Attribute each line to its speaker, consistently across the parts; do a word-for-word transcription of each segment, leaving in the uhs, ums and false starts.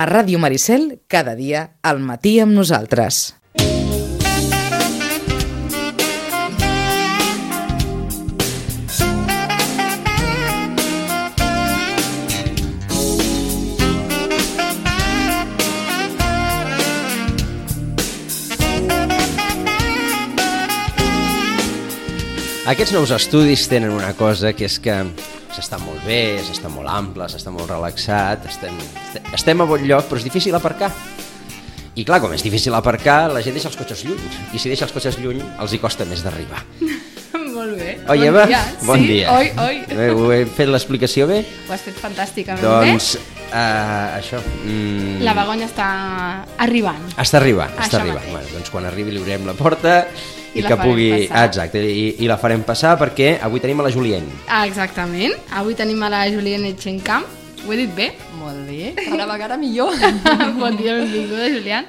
Speaker 1: A Ràdio Maricel, cada dia, al matí amb nosaltres.
Speaker 2: Aquests nous estudis tenen una cosa, que és que s'està molt bé, s'està molt ample, s'està molt relaxat, estem, estem a bon lloc, però és difícil aparcar. I clar, com és difícil aparcar, la gent deixa els cotxes lluny, i si deixa els cotxes lluny, els hi costa més d'arribar.
Speaker 3: Molt bé.
Speaker 2: Oi,
Speaker 3: bon
Speaker 2: Eva?
Speaker 3: Dia.
Speaker 2: Bon
Speaker 3: sí?
Speaker 2: dia.
Speaker 3: Oi, oi.
Speaker 2: Bé, ho he fet l'explicació bé?
Speaker 3: Ho has fet fantàsticament
Speaker 2: doncs,
Speaker 3: bé.
Speaker 2: Doncs, uh, això... Mm,
Speaker 3: la Begoña està arribant.
Speaker 2: Està arribant, està
Speaker 3: Això
Speaker 2: arribant.
Speaker 3: mateix.
Speaker 2: Bueno, doncs quan arribi li obrirem la porta i,
Speaker 3: I
Speaker 2: que pugui...
Speaker 3: passar.
Speaker 2: Exacte, i, i la farem passar perquè avui tenim a la Julien.
Speaker 3: Ah, exactament. Avui tenim a la Juliana Etxencamp. Ho he dit bé?
Speaker 4: Molt bé, cada vegada millor.
Speaker 3: Bon dia, benvinguda, Julián.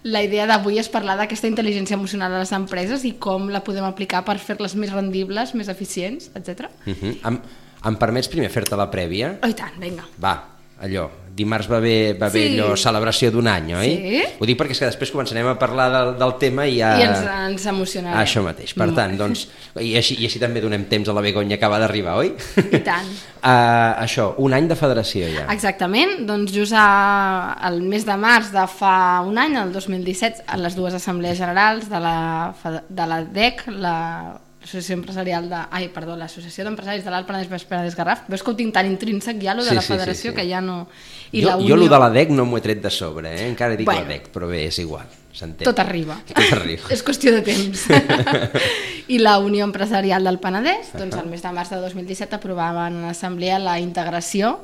Speaker 3: La idea d'avui és parlar d'aquesta intel·ligència emocional a les empreses i com la podem aplicar per fer-les més rendibles, més eficients, etcètera.
Speaker 2: Uh -huh. em, em permets primer fer-te la prèvia?
Speaker 3: Oh, i tant, vinga.
Speaker 2: Va, allò, dimarts va haver, va haver
Speaker 3: Sí.
Speaker 2: allò, celebració d'un any, oi?
Speaker 3: Sí.
Speaker 2: Ho dic perquè és que després començarem a parlar del, del tema i ja...
Speaker 3: I ens, ens emocionarem.
Speaker 2: Això mateix, per tant, doncs, i així, i així també donem temps a la Begoña que va d'arribar, oi?
Speaker 3: I tant.
Speaker 2: uh, això, un any de federació ja.
Speaker 3: Exactament, doncs just a, el mes de març de fa un any, el dos mil disset, a les dues assemblees generals de la, de la D E C, la Associació Empresarial de... Ai, perdó, l'Associació d'Empresaris de l'Alt Penedès Baix Penedès Garraf. Veus que ho tinc tan intrínsec ja, lo de
Speaker 2: Sí,
Speaker 3: la
Speaker 2: sí,
Speaker 3: federació,
Speaker 2: sí, sí.
Speaker 3: que ja no... I
Speaker 2: jo,
Speaker 3: la
Speaker 2: jo
Speaker 3: unió...
Speaker 2: lo de la D E C no m'ho he tret de sobre, eh? Encara dic
Speaker 3: Bueno.
Speaker 2: la D E C, però bé, és igual, s'entén.
Speaker 3: Tot arriba.
Speaker 2: Tot arriba.
Speaker 3: És qüestió de temps. I la Unió Empresarial del Penedès, doncs el mes de març de dos mil disset aprovaven en l'assemblea la integració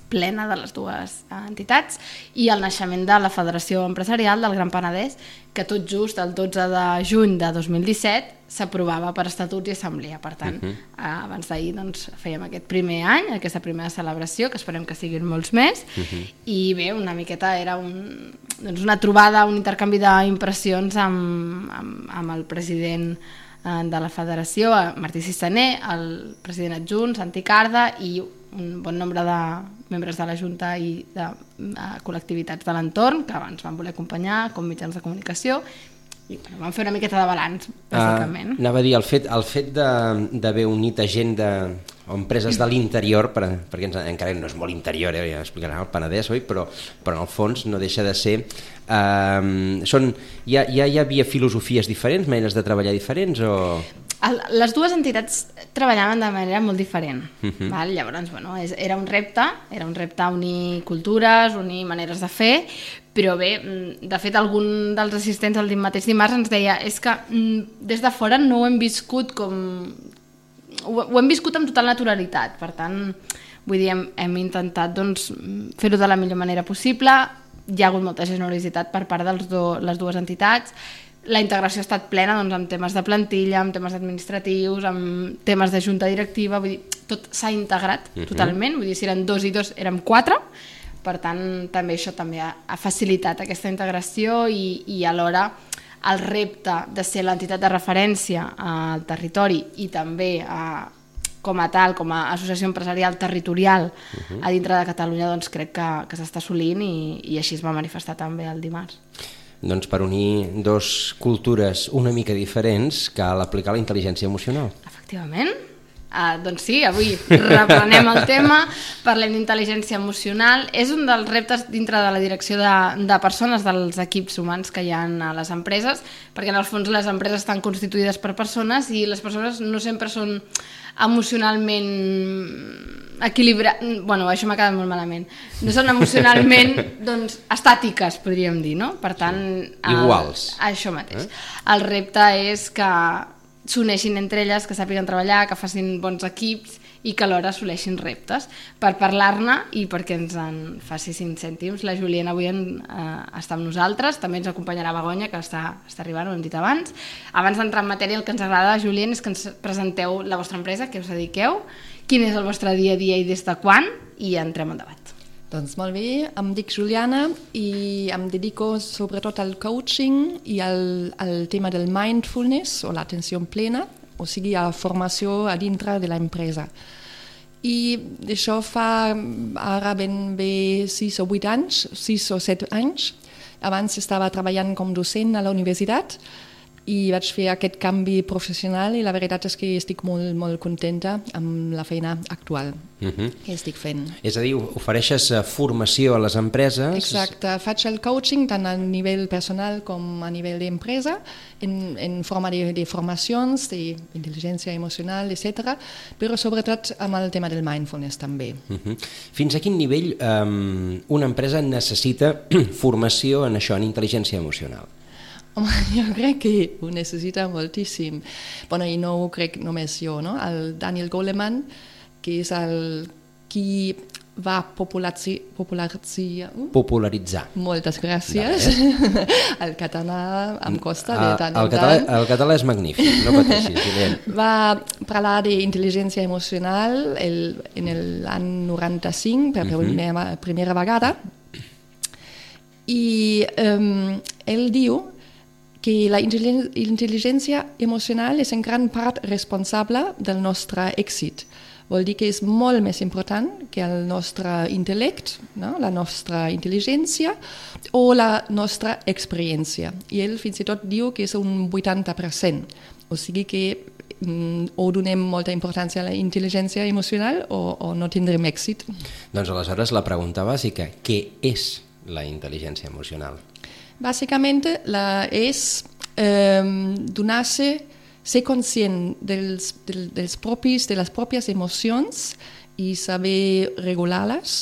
Speaker 3: plena de les dues entitats i el naixement de la Federació Empresarial del Gran Penedès, que tot just el dotze de juny de dos mil disset s'aprovava per estatuts i assemblea. Per tant, uh -huh. abans d'ahir doncs, fèiem aquest primer any, aquesta primera celebració, que esperem que siguin molts més, uh -huh. i bé, una miqueta era un, doncs una trobada, un intercanvi d'impressions amb, amb, amb el president de la federació, Martí Cistaner, el president adjunt, Santi Carda, i un bon nombre de membres de la Junta i de uh, col·lectivitats de l'entorn que abans van voler acompanyar, com mitjans de comunicació, i bueno, vam fer una miqueta de balanç, bàsicament.
Speaker 2: Uh, anava a dir, el fet, el fet d'haver unit a gent de, o empreses de l'interior, per, perquè ens, encara no és molt interior, eh, ja explicarà el Penedès, oi? Però, però en el fons no deixa de ser... Uh, són, ja, ja hi havia filosofies diferents, maneres de treballar diferents, o...?
Speaker 3: El, les dues entitats treballaven de manera molt diferent.
Speaker 2: Uh-huh.
Speaker 3: Val? Llavors, bueno, és, era un repte, era un repte unir cultures, unir maneres de fer, però bé, de fet, algun dels assistents el mateix dimarts ens deia és que des de fora no ho hem viscut com... Ho, ho hem viscut amb total naturalitat, per tant, vull dir, hem, hem intentat doncs, fer-ho de la millor manera possible, hi ha hagut molta generositat per part de les dues entitats. La integració ha estat plena doncs, amb temes de plantilla, amb temes administratius, amb temes de junta directiva, vull dir, tot s'ha integrat uh-huh. totalment, vull dir, si eren dos i dos érem quatre, per tant també això també ha, ha facilitat aquesta integració i, i alhora el repte de ser l'entitat de referència al territori i també a, com a tal, com a associació empresarial territorial uh-huh. a dintre de Catalunya, doncs crec que, que s'està assolint i, i així es va manifestar també el dimarts.
Speaker 2: Doncs per unir dos cultures una mica diferents cal aplicar la intel·ligència emocional.
Speaker 3: Efectivament. Uh, doncs sí, avui reprenem el tema, parlem d'intel·ligència emocional. És un dels reptes dintre de la direcció de, de persones, dels equips humans que hi ha a les empreses, perquè en el fons les empreses estan constituïdes per persones i les persones no sempre són emocionalment equilibrades, bueno, això m'ha quedat molt malament, no són emocionalment doncs, estàtiques, podríem dir, no? Per tant, el,
Speaker 2: iguals.
Speaker 3: Això mateix. Eh? El repte és que s'uneixin entre elles, que sàpiguen treballar, que facin bons equips i que alhora assoleixin reptes. Per parlar-ne i perquè ens en faci cinc cèntims, la Juliana avui en, eh, està amb nosaltres, també ens acompanyarà Begoña, que està, està arribant, ho hem dit abans. Abans d'entrar en matèria, el que ens agrada, Juliana, és que ens presenteu la vostra empresa, què us dediqueu, quin és el vostre dia a dia i des de quan, i entrem en debat.
Speaker 4: Doncs molt bé, em dic Juliana i em dedico sobretot al coaching i al, al tema del mindfulness o l'atenció plena, o sigui a formació a dintre de l'empresa. i això fa ara ben bé sis o vuit anys, sis o set anys. Abans estava treballant com docent a la universitat i vaig fer aquest canvi professional i la veritat és que estic molt, molt contenta amb la feina actual uh-huh. que estic fent.
Speaker 2: És a dir, ofereixes formació a les empreses?
Speaker 4: Exacte, faig el coaching tant a nivell personal com a nivell d'empresa, en, en forma de, de formacions, d'intel·ligència emocional, etcètera, però sobretot amb el tema del mindfulness també.
Speaker 2: Uh-huh. Fins a quin nivell um, una empresa necessita formació en això, en intel·ligència emocional?
Speaker 4: Home, jo crec que ho necessita moltíssim. Bueno, i no ho crec només jo, no? El Daniel Goleman, que és el qui va popularitzar... Popularitzar.
Speaker 2: popularitzar.
Speaker 4: Moltes gràcies. Vale. El català em costa de tant en
Speaker 2: el català,
Speaker 4: tant.
Speaker 2: El català és magnífic, no pateixis. Guillem.
Speaker 4: Va parlar d'intel·ligència emocional el, en l'any noranta-cinc, per uh-huh. primera, primera vegada, i um, ell diu que la intel·ligència emocional és en gran part responsable del nostre èxit. Vol dir que és molt més important que el nostre intel·lect, no? La nostra intel·ligència o la nostra experiència. I ell fins i tot diu que és un vuitanta per cent. O sigui que mm, o donem molta importància a la intel·ligència emocional o, o no tindrem èxit.
Speaker 2: Doncs aleshores la pregunta bàsica, què és la intel·ligència emocional?
Speaker 4: Bàsicament la, és eh, donar-se, ser conscient dels, del, dels propis, de les pròpies emocions i saber regular-les,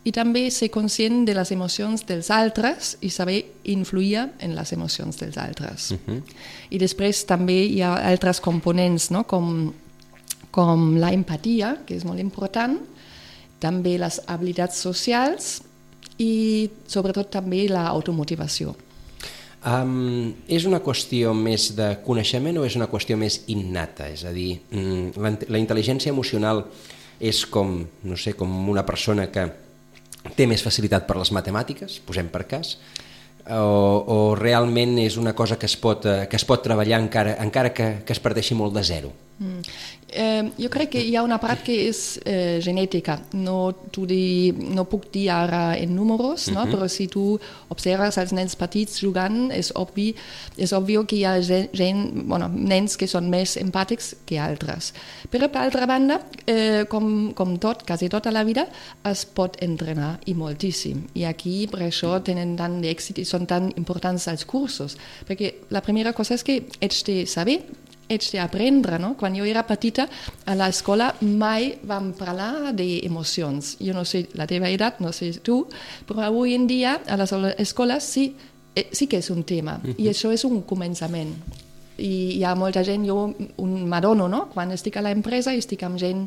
Speaker 4: i també ser conscient de les emocions dels altres i saber influir en les emocions dels altres. Uh-huh. I després també hi ha altres components, no? com, com la empatia, que és molt important, també les habilitats socials i sobretot també l'automotivació.
Speaker 2: Um, és una qüestió més de coneixement o és una qüestió més innata? És a dir, la, la intel·ligència emocional és com, no sé, com una persona que té més facilitat per les matemàtiques, posem per cas, o, o realment és una cosa que es pot, que es pot treballar encara, encara que, que es parteixi molt de zero?
Speaker 4: Mm. Eh, jo crec que hi ha una part que és eh, genètica. No, di, no puc dir ara en números, no? Uh-huh. Però si tu observes els nens petits jugant, és obvi, és obvi que hi ha gent, bueno, nens que són més empàtics que altres. Però per altra banda, eh, com, com tot, quasi tota la vida, es pot entrenar i moltíssim. I aquí per això tenen tant d'èxit i són tan importants els cursos. Perquè la primera cosa és que ets de saber, ets d'aprendre, no? Quan jo era petita, a l'escola mai vam parlar d'emocions. Jo no sé la teva edat, no sé tu, però avui en dia a les escoles sí, sí que és un tema, uh-huh. i això és un començament. I hi ha molta gent, jo m'adono, no? Quan estic a l'empresa i estic amb gent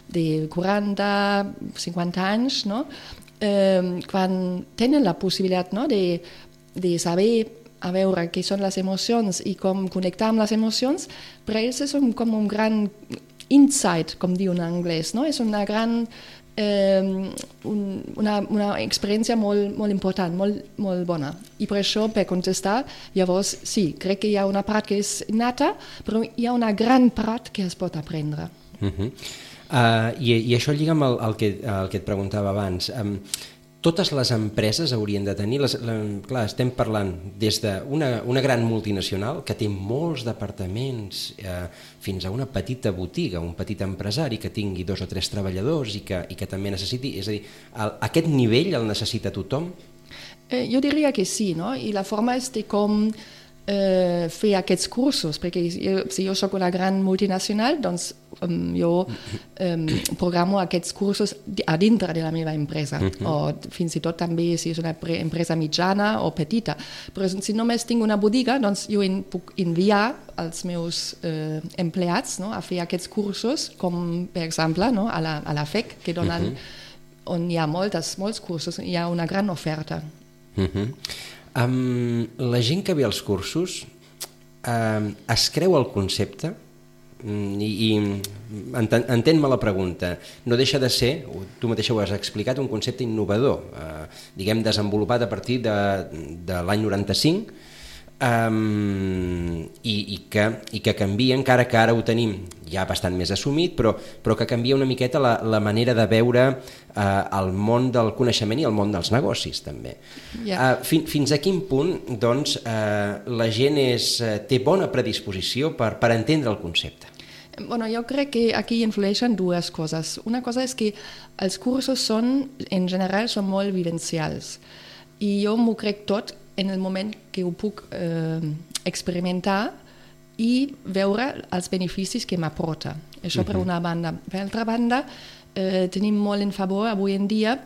Speaker 4: de quaranta, cinquanta anys, no? Eh, quan tenen la possibilitat, no? de, de saber a veure què són les emocions i com connectar amb les emocions, per ells és un, com un gran insight, com diu en anglès, no? És una gran eh, un, una, una experiència molt, molt important, molt, molt bona. I per això, per contestar, llavors sí, crec que hi ha una part que és innata, però hi ha una gran part que es pot aprendre.
Speaker 2: Uh-huh. uh, i, I això lliga amb el, el, que, el que et preguntava abans. Um, Totes les empreses haurien de tenir, les, la, clar, estem parlant des d'una una gran multinacional que té molts departaments eh, fins a una petita botiga, un petit empresari que tingui dos o tres treballadors i que, i que també necessiti, és a dir, el, aquest nivell el necessita tothom?
Speaker 4: Eh, jo diria que sí, no? I la forma és de com eh, fer aquests cursos, perquè jo, si jo soc una gran multinacional, doncs um, jo um, programo aquests cursos a dintre de la meva empresa, uh-huh. o fins i tot també si és una empresa mitjana o petita. Però si només tinc una botiga, doncs jo en puc enviar als meus eh, empleats, no? A fer aquests cursos, com per exemple, no? a, la, a la F E C, que donen, uh-huh. on hi ha moltes, molts cursos, hi ha una gran oferta.
Speaker 2: Uh-huh. Um, la gent que ve als cursos um, es creu el concepte um, i, i enten, entén-me la pregunta, no deixa de ser, tu mateixa ho has explicat, un concepte innovador, uh, diguem desenvolupat a partir de, de l'any noranta-cinc, um, i, i, que, i que canvia, encara que ara ho tenim ja bastant més assumit, però, però que canvia una miqueta la, la manera de veure uh, el món del coneixement i el món dels negocis també. Yeah. Uh, fin, fins a quin punt doncs, uh, la gent és, uh, té bona predisposició per, per entendre el concepte?
Speaker 4: Bueno, jo crec que aquí influeixen dues coses. Una cosa és que els cursos són, en general, són molt vivencials. I jo m'ho crec tot en el moment que ho puc eh, experimentar i veure els beneficis que m'aporta. Això uh-huh. per una banda. Per altra banda, eh, tenim molt en favor avui en dia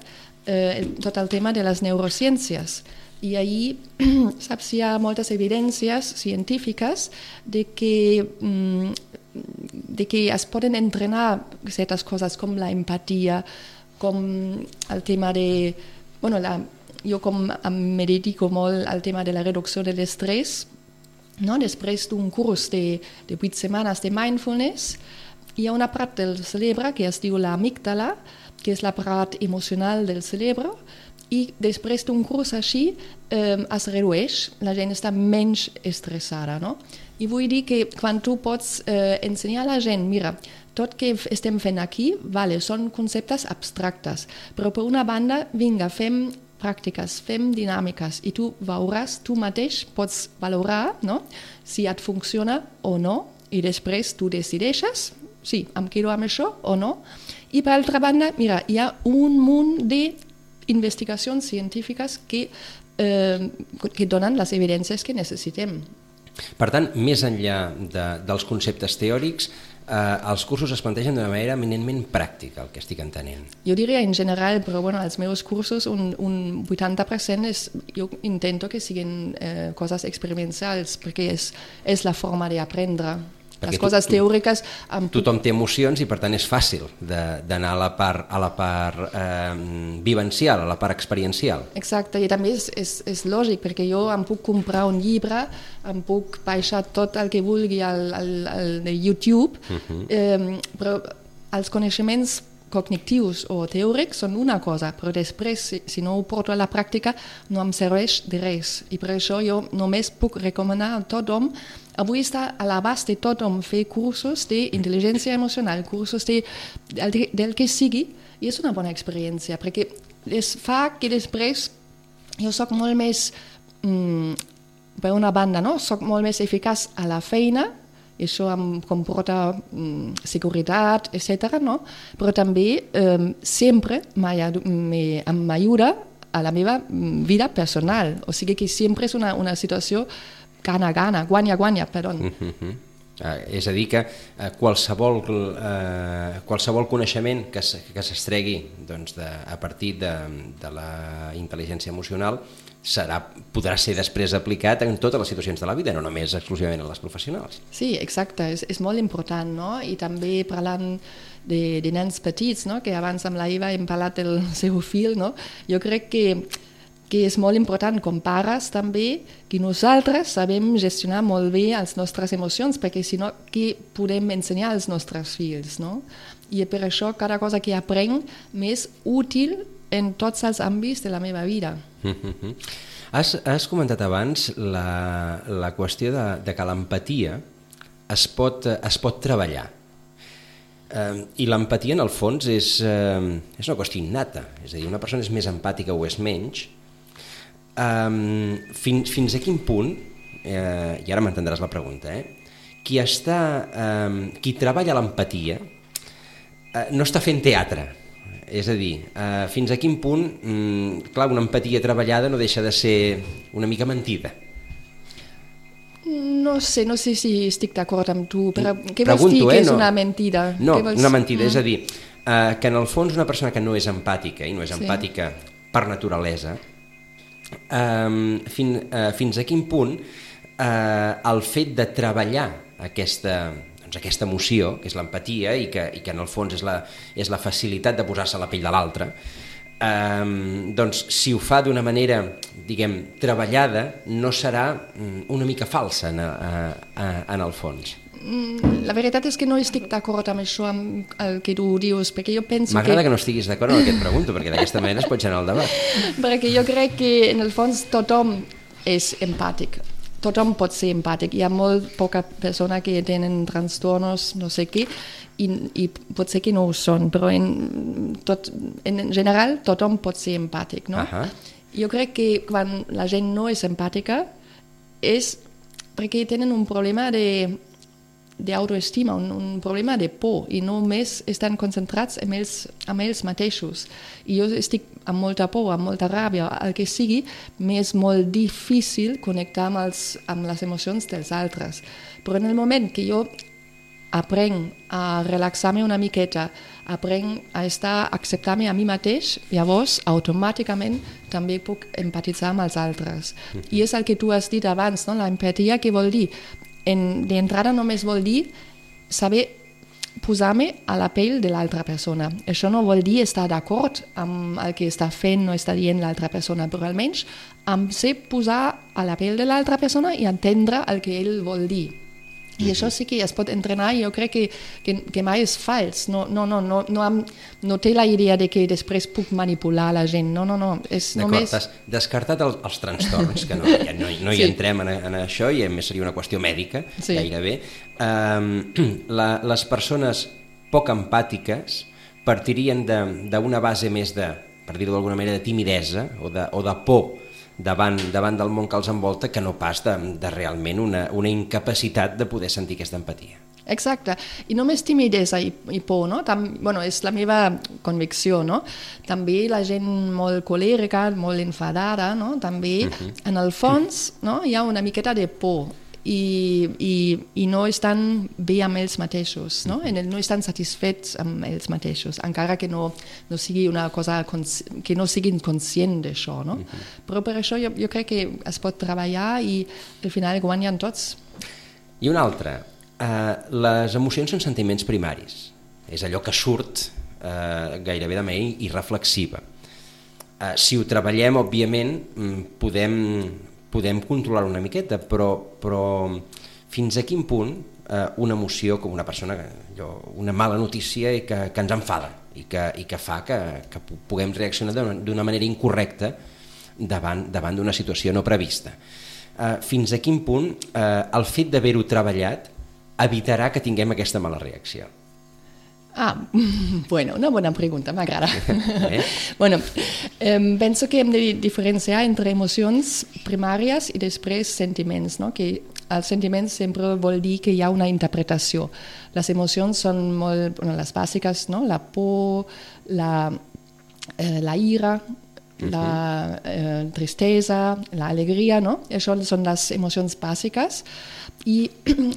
Speaker 4: eh, tot el tema de les neurociències. I ahir saps, hi ha moltes evidències científiques de que, mm, de que es poden entrenar certes coses com la empatia, com el tema de... Bueno, la, jo com em dedico molt al tema de la reducció de l'estrès, no? Després d'un curs de, de vuit setmanes de mindfulness, hi ha una part del cerebre que es diu l'amígdala, que és la part emocional del cerebre, i després d'un curs així eh, es redueix, la gent està menys estressada. No? I vull dir que quan tu pots eh, ensenyar a la gent, mira, tot que estem fent aquí, vale, són conceptes abstractes, però per una banda, vinga, fem pràctiques, fem dinàmiques i tu veuràs, tu mateix pots valorar, no? Si et funciona o no, i després tu decideixes, sí, em quedo amb això o no. I per altra banda, mira, hi ha un munt d'investigacions científiques que, eh, que donen les evidències que necessitem.
Speaker 2: Per tant, més enllà de, dels conceptes teòrics, eh, els cursos es plantegen d'una manera eminentment pràctica, el que estic entenent.
Speaker 4: Jo diria en general, però bueno, els meus cursos un, un vuitanta per cent és, jo intento que siguin eh, coses experimentals, perquè és, és la forma d'aprendre. Les
Speaker 2: perquè
Speaker 4: coses
Speaker 2: tu,
Speaker 4: teòriques...
Speaker 2: Amb... Tothom té emocions i per tant és fàcil d'anar a la part, a la part eh, vivencial, a la part experiencial.
Speaker 4: Exacte, i també és, és, és lògic, perquè jo em puc comprar un llibre, em puc baixar tot el que vulgui al, al, al de YouTube, uh-huh. eh, però els coneixements cognitius o teòrics són una cosa, però després, si, si no ho porto a la pràctica, no em serveix de res. I per això jo només puc recomanar a tothom. Avui està a l'abast de tothom fer cursos d'intel·ligència emocional, cursos de, del, del que sigui, i és una bona experiència, perquè es fa que després jo soc molt més, mm, per una banda, no? Soc molt més eficaç a la feina, i això em comporta mm, seguretat, etcètera, no? Però també eh, sempre m'ajuda a la meva vida personal. O sigui que sempre és una, una situació gana-gana, guanya-guanya, perdó.
Speaker 2: Uh-huh. Uh, és a dir que uh, qualsevol, uh, qualsevol coneixement que s'estregui doncs, de, a partir de, de la intel·ligència emocional serà, podrà ser després aplicat en totes les situacions de la vida, no només exclusivament en les professionals.
Speaker 4: Sí, exacte, és, és molt important, no? I també parlant de, de nens petits, no? Que abans amb la Eva hem parlat del seu fill, no? Jo crec que que és molt important com pares també que nosaltres sabem gestionar molt bé les nostres emocions, perquè si no, què podem ensenyar als nostres fills, no? I per això cada cosa que aprenc m'és útil en tots els àmbits de la meva vida.
Speaker 2: Mm-hmm. Has, has comentat abans la, la qüestió de, de que l'empatia es pot, es pot treballar. Eh, I l'empatia, en el fons, és, eh, és una qüestió innata. És a dir, una persona és més empàtica o és menys. Um, fins, fins a quin punt, eh, i ara m'entendràs la pregunta, eh? qui, està, um, qui treballa l'empatia eh, no està fent teatre, és a dir, eh, fins a quin punt, mm, clar, una empatia treballada no deixa de ser una mica mentida.
Speaker 4: No sé, no sé si estic d'acord amb tu, però què
Speaker 2: Pregunto,
Speaker 4: vols dir que
Speaker 2: eh,
Speaker 4: és
Speaker 2: no.
Speaker 4: una mentida?
Speaker 2: No,
Speaker 4: vols...
Speaker 2: una mentida,
Speaker 4: mm.
Speaker 2: és a dir, eh, que en el fons una persona que no és empàtica, i no és
Speaker 4: sí.
Speaker 2: empàtica per naturalesa, Um, fin, uh, fins a quin punt uh, el fet de treballar aquesta, doncs aquesta emoció, que és l'empatia i que, i que en el fons és la, és la facilitat de posar-se a la pell de l'altre, um, doncs si ho fa d'una manera, diguem, treballada, no serà una mica falsa en, a, a, en el fons.
Speaker 4: La veritat és que no estic d'acord amb això, amb el que tu dius, perquè jo penso que...
Speaker 2: M'agrada que no estiguis d'acord amb el que et pregunto, perquè d'aquesta manera es pot generar el debat.
Speaker 4: Perquè jo crec que en el fons tothom és empàtic. tothom pot ser empàtic. Hi ha molt poca persona que tenen trastornos, no sé què, i, i potser que no ho són, però en, tot, en general tothom pot ser empàtic, no?
Speaker 2: Uh-huh.
Speaker 4: Jo crec que quan la gent no és empàtica és perquè tenen un problema de d'autoestima, un, un problema de por, i només estan concentrats en ells, en ells mateixos. I jo estic amb molta por, amb molta ràbia, el que sigui, m'és molt difícil connectar amb, els, amb les emocions dels altres. Però en el moment que jo aprenc a relaxar-me una miqueta, aprenc a estar, a acceptar-me a mi mateix, llavors automàticament també puc empatitzar amb els altres. I és el que tu has dit abans, no? L'empatia, què vol dir? En, d'entrada només vol dir saber posar-me a la pell de l'altra persona. Això no vol dir estar d'acord amb el que està fent o està dient l'altra persona, però almenys em sé posar a la pell de l'altra persona i entendre el que ell vol dir. I això sí que es pot entrenar, i jo crec que, que, que mai és fals. No, no, no, no, no, am, no té la idea de que després puc manipular la gent. No, no, no. És només...
Speaker 2: D'acord, has descartat el, els trastorns, que no, ja no, no hi sí. entrem en, en això, i a més seria una qüestió mèdica, sí. gairebé. Um, la, les persones poc empàtiques partirien d'una base més de, per dir-ho d'alguna manera, de timidesa o de, o de por davant, davant del món que els envolta, que no pas de, de realment una, una incapacitat de poder sentir aquesta empatia.
Speaker 4: Exacte, i només timidesa i, i por, no? Tam, bueno, és la meva convicció, no? També la gent molt colèrica, molt enfadada, no? També, uh-huh. en el fons, no? Hi ha una miqueta de por, i, i, i no estan bé amb ells mateixos, no? En el, no estan satisfets amb ells mateixos, encara que no, no sigui una cosa, que no siguin conscients d'això, no? Uh-huh. Però per això jo, jo crec que es pot treballar i al final guanyen tots.
Speaker 2: I una altra, uh, les emocions són sentiments primaris, és allò que surt uh, gairebé de manera irreflexiva. Uh, si ho treballem, òbviament, podem... podem controlar una miqueta, però, però fins a quin punt eh, una emoció com una persona, allò, una mala notícia i que, que ens enfada i que, i que fa que, que puguem reaccionar d'una manera incorrecta davant, davant d'una situació no prevista. Eh, fins a quin punt eh, el fet d'haver-ho treballat evitarà que tinguem aquesta mala reacció?
Speaker 4: Ah, bueno, una bona pregunta, m'agrada. Eh? Bueno, eh, penso que hem de diferenciar entre emocions primàries i després sentiments, no? Que els sentiments sempre vol dir que hi ha una interpretació. Les emocions són molt, bueno, les bàsiques, no? La por, la, eh, la ira, uh-huh. la eh, tristesa, l'alegria, no? Això són les emocions bàsiques. I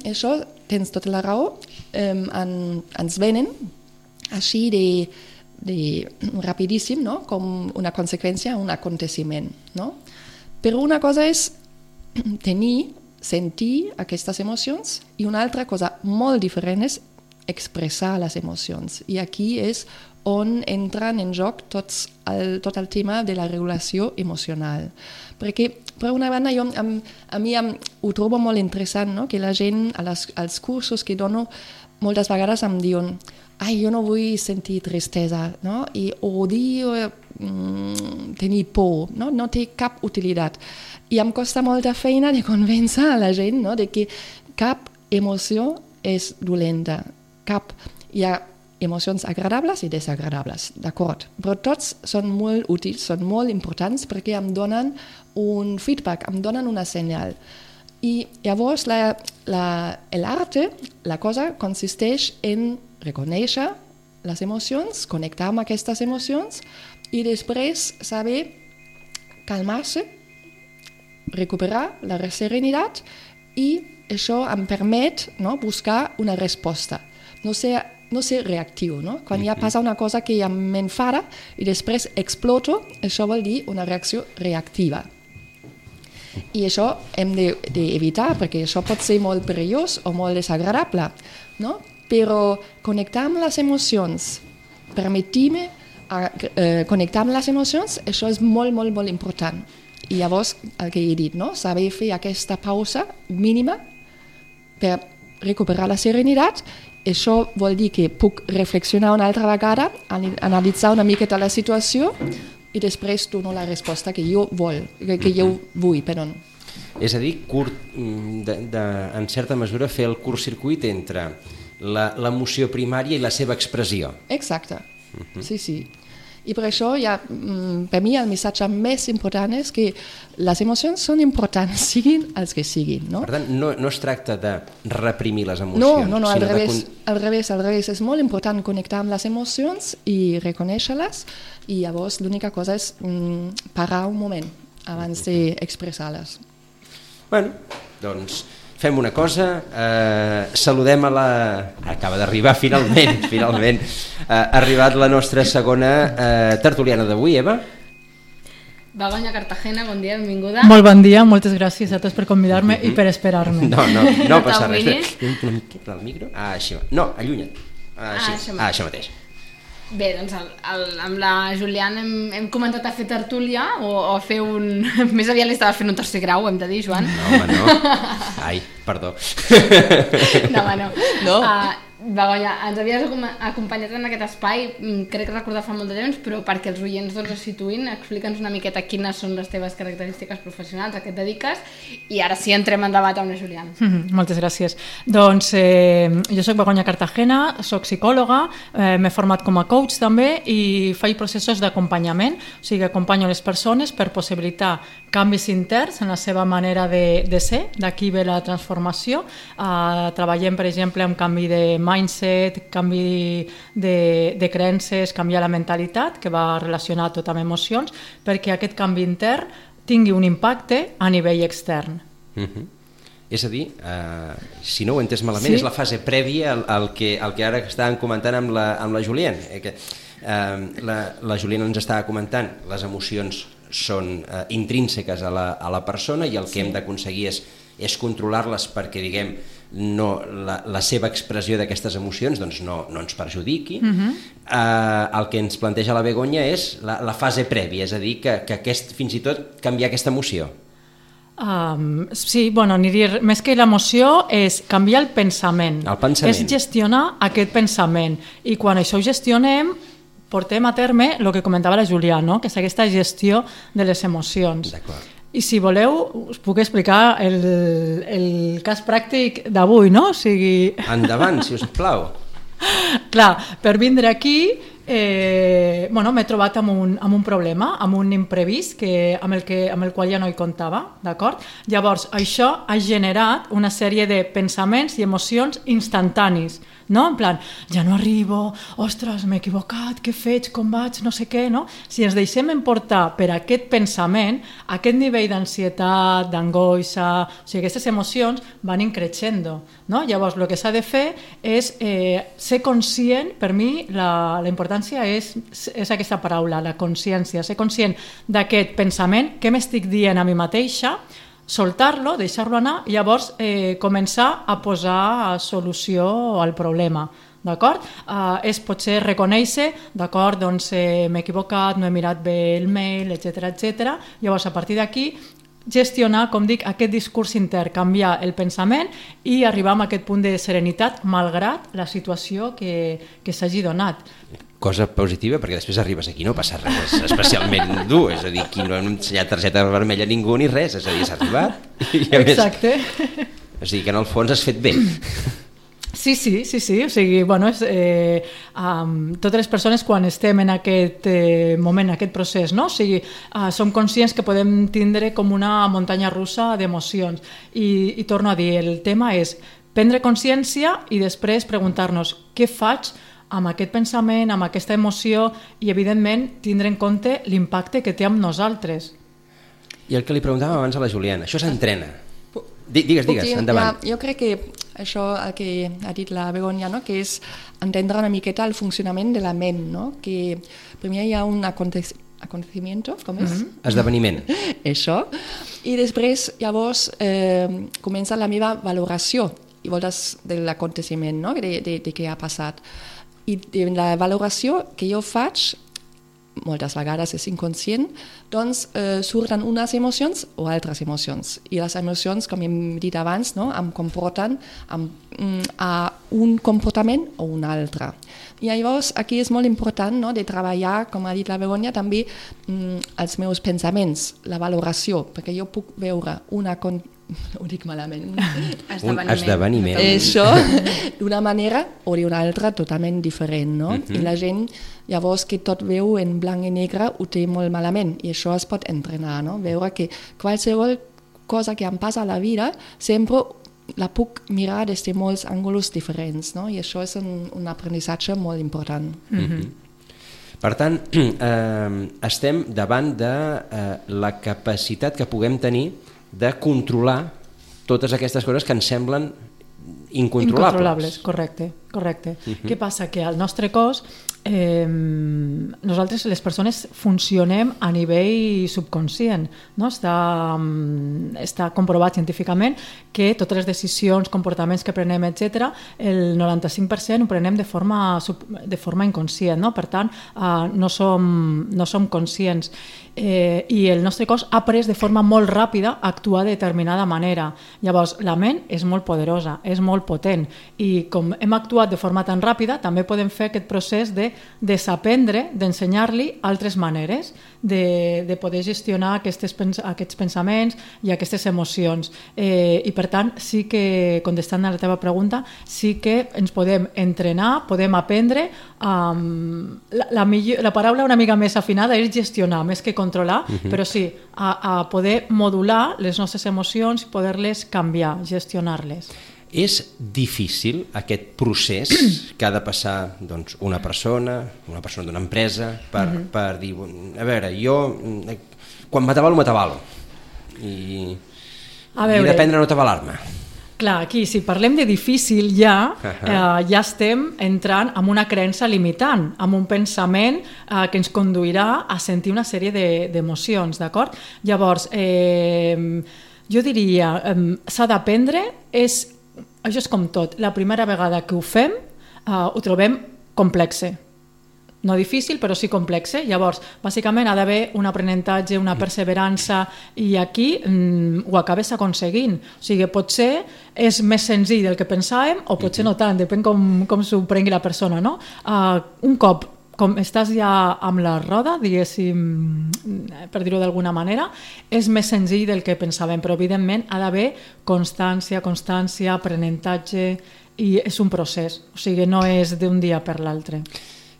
Speaker 4: això, tens tota la raó, eh, en, ens venen així de, de rapidíssim, no? Com una conseqüència, un aconteciment, no? Però una cosa és tenir, sentir aquestes emocions, i una altra cosa molt diferent és expressar les emocions. I aquí és on entren en joc tots el, tot el tema de la regulació emocional. Perquè, per una banda, jo, a, a mi em, ho trobo molt interessant, no? Que la gent, a les, als cursos que dono, moltes vegades em diuen ai, jo no vull sentir tristesa, no? I odio mm, tenir por, no? No té cap utilitat. I em costa molta feina de convèncer a la gent, no? De que cap emoció és dolenta, cap. Hi ha emocions agradables i desagradables, d'acord? Però tots són molt útils, són molt importants perquè em donen un feedback, em donen una senyal. I llavors la, la, l'arte, la cosa consisteix en reconèixer les emocions, connectar amb aquestes emocions i després saber calmar-se, recuperar la serenitat, i això em permet, no, buscar una resposta. No ser, no ser reactiu, no? Quan ja passa una cosa que ja m'enfada i després exploto, això vol dir una reacció reactiva. I això hem d'evitar, de, perquè això pot ser molt perillós o molt desagradable, no? Però connectar amb les emocions, permetir-me a, eh, connectar amb les emocions, això és molt, molt, molt important. I llavors, el que he dit, no? Saber fer aquesta pausa mínima per recuperar la serenitat. Això vol dir que puc reflexionar una altra vegada, analitzar una miqueta la situació i després dono la resposta que jo vol, que jo vull, perdó.
Speaker 2: És a dir, curt, de, de, en certa mesura fer el curt-circuit entre l'emoció primària i la seva expressió.
Speaker 4: Exacte, uh-huh. sí, sí. I per això, ja, per mi, el missatge més important és que les emocions són importants, siguin els que siguin. No?
Speaker 2: Per tant, no, no es tracta de reprimir les emocions.
Speaker 4: No, no, no al,
Speaker 2: sinó
Speaker 4: revés,
Speaker 2: de...
Speaker 4: al revés, al revés. És molt important connectar amb les emocions i reconèixer-les, i llavors l'única cosa és mm, parar un moment abans d'expressar-les.
Speaker 2: Bueno, doncs fem una cosa, eh, saludem a la... Acaba d'arribar finalment, finalment. Eh, ha arribat la nostra segona eh, tertuliana d'avui, Eva.
Speaker 3: Begoña Cartagena, bon dia, benvinguda.
Speaker 5: Molt bon dia, moltes gràcies a tots per convidar-me uh-huh. i per esperar-me.
Speaker 2: No, no, no passa res. Espera, una miqueta al micro. Ah, així. No, allunya't. Ah,
Speaker 3: ah,
Speaker 2: això, ah, això mateix.
Speaker 3: Bé, doncs el, el, amb la Juliana hem, hem comentat a fer tertúlia o, o a fer un... Més aviat li estava fent un tercer grau, hem de dir, Joan.
Speaker 2: No, home, no. Ai, perdó.
Speaker 3: No, home, no.
Speaker 4: No.
Speaker 3: Uh, Begoña, ens havies acompanyat en aquest espai, crec recordar fa molt de temps, però perquè els oients doncs, es situïn, explica'ns una miqueta quines són les teves característiques professionals, a què et dediques, i ara sí entrem en debat amb la Juliana.
Speaker 5: Mm-hmm, moltes gràcies. Doncs eh, jo soc Begoña Cartagena, soc psicòloga, eh, m'he format com a coach també i faig processos d'acompanyament, o sigui, acompanyo les persones per possibilitar canvis interns en la seva manera de, de ser, d'aquí ve la transformació. Uh, treballem, per exemple, amb canvi de mindset, canvi de, de creences, canviar la mentalitat, que va relacionat tot amb emocions, perquè aquest canvi intern tingui un impacte a nivell extern.
Speaker 2: Mm-hmm. És a dir, uh, si no ho he entès malament, sí. És la fase prèvia al, al, que, al que ara estàvem comentant amb la, amb la Juliana. Eh, que, uh, la, la Juliana ens estava comentant les emocions són uh, intrínseques a la, a la persona i el que sí. hem d'aconseguir és, és controlar-les perquè, diguem, no, la, la seva expressió d'aquestes emocions doncs no, no ens perjudiqui. Uh-huh. uh, el que ens planteja la Begoña és la, la fase prèvia, és a dir, que, que aquest, fins i tot canviar aquesta emoció.
Speaker 5: Um, sí, bueno, aniria, més que l'emoció és canviar el pensament.
Speaker 2: El pensament.
Speaker 5: És gestionar aquest pensament. I quan això ho gestionem, portem a terme el que comentava la Juliana, no? Que és aquesta gestió de les emocions.
Speaker 2: D'acord.
Speaker 5: I si voleu, us puc explicar el, el cas pràctic d'avui, no? O sigui...
Speaker 2: Endavant, si us plau.
Speaker 5: Clar, per vindre aquí eh, bueno, m'he trobat amb un, amb un problema, amb un imprevist que, amb, el que, amb el qual ja no hi comptava, d'acord? Llavors, això ha generat una sèrie de pensaments i emocions instantanis, no? En plan, ja no arribo, ostres, m'he equivocat, què faig, com vaig, no sé què, no? Si ens deixem emportar per aquest pensament, aquest nivell d'ansietat, d'angoixa, o sigui, aquestes emocions van increixendo, no? Llavors, el que s'ha de fer és eh, ser conscient, per mi, la, la importància és, és aquesta paraula, la consciència, ser conscient d'aquest pensament, què m'estic dient a mi mateixa, soltar-lo, deixar-lo anar i llavors eh, començar a posar solució al problema. D'acord? Uh, és potser reconèixer, d'acord, doncs eh, m'he equivocat, no he mirat bé el mail, etcètera, etcètera. Llavors, a partir d'aquí, gestionar, com dic, aquest discurs intern, canviar el pensament i arribar a aquest punt de serenitat malgrat la situació que, que s'hagi donat.
Speaker 2: Cosa positiva, perquè després arribes aquí, no passa res especialment dur, és a dir, aquí no hem ensenyat targeta vermella a ningú ni res, és a dir, s'ha arribat. I a
Speaker 5: Exacte.
Speaker 2: Més, o sigui que en el fons has fet bé.
Speaker 5: Sí, sí, sí, sí, o sigui, bueno, és, eh, um, totes les persones quan estem en aquest eh, moment, en aquest procés, no? O sigui, uh, som conscients que podem tindre com una muntanya russa d'emocions i, i torno a dir, el tema és prendre consciència i després preguntar-nos què faig amb aquest pensament, amb aquesta emoció i, evidentment, tindre en compte l'impacte que té amb nosaltres.
Speaker 2: I el que li preguntàvem abans a la Juliana, això s'entrena. Digues, digues, endavant.
Speaker 4: Ja, jo crec que això el que ha dit la Begoña, no? Que és entendre una miqueta el funcionament de la ment, no? Que primer hi ha un acontecimiento, com és? Mm-hmm.
Speaker 2: Esdeveniment.
Speaker 4: Això. I després, llavors, eh, comença la meva valoració i voltes de l'aconteciment, no? De, de, de què ha passat. I la valoració que jo faig moltes vegades és inconscient, doncs eh, surten unes emocions o altres emocions. I les emocions, com hem dit abans, no, em comporten amb, mm, a un comportament o un altre. I llavors aquí és molt important, no, de treballar, com ha dit la Begoña, també mm, els meus pensaments, la valoració, perquè jo puc veure una con ho dic malament.
Speaker 2: Un esdeveniment.
Speaker 4: Això, d'una manera o d'una altra totalment diferent, no? Uh-huh. I la gent, llavors, que tot veu en blanc i negre, ho té molt malament, i això es pot entrenar, no? Veure que qualsevol cosa que em passa a la vida, sempre la puc mirar des de molts ànguls diferents, no? I això és un, un aprenentatge molt important.
Speaker 2: Uh-huh. Per tant, eh, estem davant de eh, la capacitat que puguem tenir de controlar totes aquestes coses que ens semblen incontrolables.
Speaker 5: Incontrolables, correcte, correcte. Uh-huh. Què passa? Que al nostre cos eh, nosaltres, les persones, funcionem a nivell subconscient, no? Està, està comprovat científicament que totes les decisions, comportaments que prenem, etcètera, el noranta-cinc per cent ho prenem de forma, de forma inconscient, no? Per tant, eh, no som, no som conscients. Eh, i el nostre cos ha après de forma molt ràpida a actuar de determinada manera. Llavors, la ment és molt poderosa, és molt potent, i com hem actuat de forma tan ràpida, també podem fer aquest procés de desaprendre, d'ensenyar-li altres maneres de, de poder gestionar aquestes, aquests pensaments i aquestes emocions. Eh, I per tant, sí que, contestant a la teva pregunta, sí que ens podem entrenar, podem aprendre. Um, la, la, millor, la paraula una mica més afinada és gestionar, més que controlar, uh-huh. però sí, a, a poder modular les nostres emocions i poder-les canviar, gestionar-les.
Speaker 2: És difícil aquest procés que ha de passar, doncs, una persona, una persona d'una empresa, per, uh-huh. per dir, a veure, jo quan m'atabalo, m'atabalo. I, a veure, i d'aprendre a no atabalar-me.
Speaker 5: Clar, aquí, si parlem de difícil ja, uh-huh. eh, ja estem entrant en una creença limitant, amb un pensament eh, que ens conduirà a sentir una sèrie d'emocions, de, d'acord? Llavors, eh, jo diria, eh, s'ha d'aprendre, és, això és com tot, la primera vegada que ho fem, eh, ho trobem complexe. No difícil, però sí complexe. Llavors, bàsicament ha d'haver un aprenentatge, una perseverança, i aquí mm, ho acabes aconseguint. O sigui, potser és més senzill del que pensàvem, o potser no tant, depèn com, com s'ho prengui la persona, no? Uh, un cop com estàs ja amb la roda, diguéssim, per dir-ho d'alguna manera, és més senzill del que pensàvem, però evidentment ha d'haver constància, constància, aprenentatge, i és un procés, o sigui, no és d'un dia per l'altre.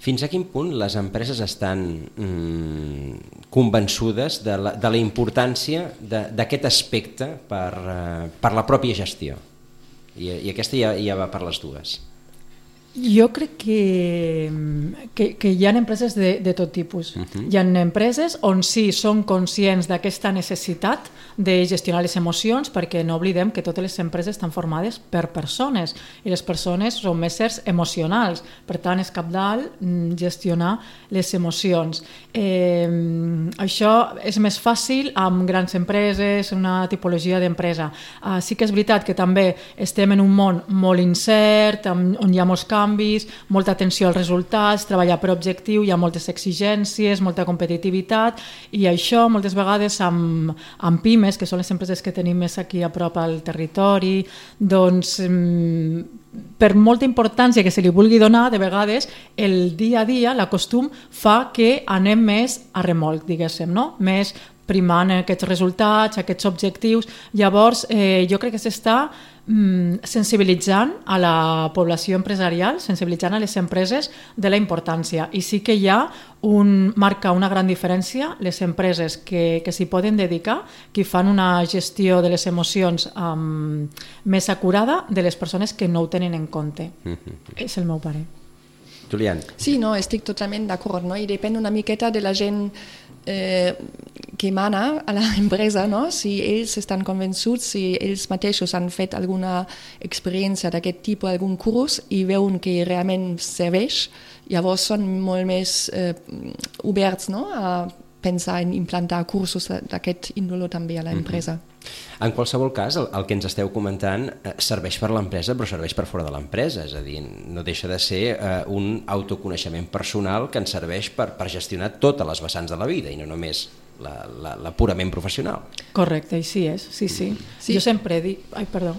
Speaker 2: Fins a quin punt les empreses estan mm, convençudes de la, de la importància d'aquest aspecte per, uh, per la pròpia gestió? I, i aquesta ja, ja va per les dues.
Speaker 5: Jo crec que, que, que hi ha empreses de, de tot tipus. Uh-huh. Hi ha empreses on sí són conscients d'aquesta necessitat de gestionar les emocions, perquè no oblidem que totes les empreses estan formades per persones, i les persones són éssers emocionals, per tant és cabdal gestionar les emocions. Eh, això és més fàcil amb grans empreses, una tipologia d'empresa. Uh, sí que és veritat que també estem en un món molt incert, on hi ha molts canvis, molta atenció als resultats, treballar per objectiu, hi ha moltes exigències, molta competitivitat, i això moltes vegades amb, amb pimes, que són les empreses que tenim més aquí a prop al territori, doncs per molta importància que se li vulgui donar, de vegades el dia a dia, la costum, fa que anem més a remolc, diguéssim, no? Més primant aquests resultats, aquests objectius. Llavors, eh, jo crec que s'està mm, sensibilitzant a la població empresarial, sensibilitzant a les empreses de la importància. I sí que hi ha un, marca una gran diferència les empreses que, que s'hi poden dedicar, que fan una gestió de les emocions um, més acurada, de les persones que no ho tenen en compte. Mm-hmm. És el meu parer.
Speaker 2: Julián.
Speaker 4: Sí, no, estic totalment d'acord, no? I depèn una miqueta de la gent eh, que mana a l'empresa, no? Si ells estan convençuts, si ells mateixos han fet alguna experiència d'aquest tipus, algun curs, i veuen que realment serveix, llavors són molt més eh, oberts, no? A pensar en implantar cursos d'aquest índolo també a l'empresa.
Speaker 2: Mm-hmm. En qualsevol cas, el, el que ens esteu comentant eh, serveix per l'empresa, però serveix per fora de l'empresa, és a dir, no deixa de ser eh, un autoconeixement personal que ens serveix per, per gestionar totes les vessants de la vida i no només la, la, la purament professional.
Speaker 5: Correcte, així és, sí, sí.
Speaker 4: sí.
Speaker 5: Jo sempre dic... Ai, perdó.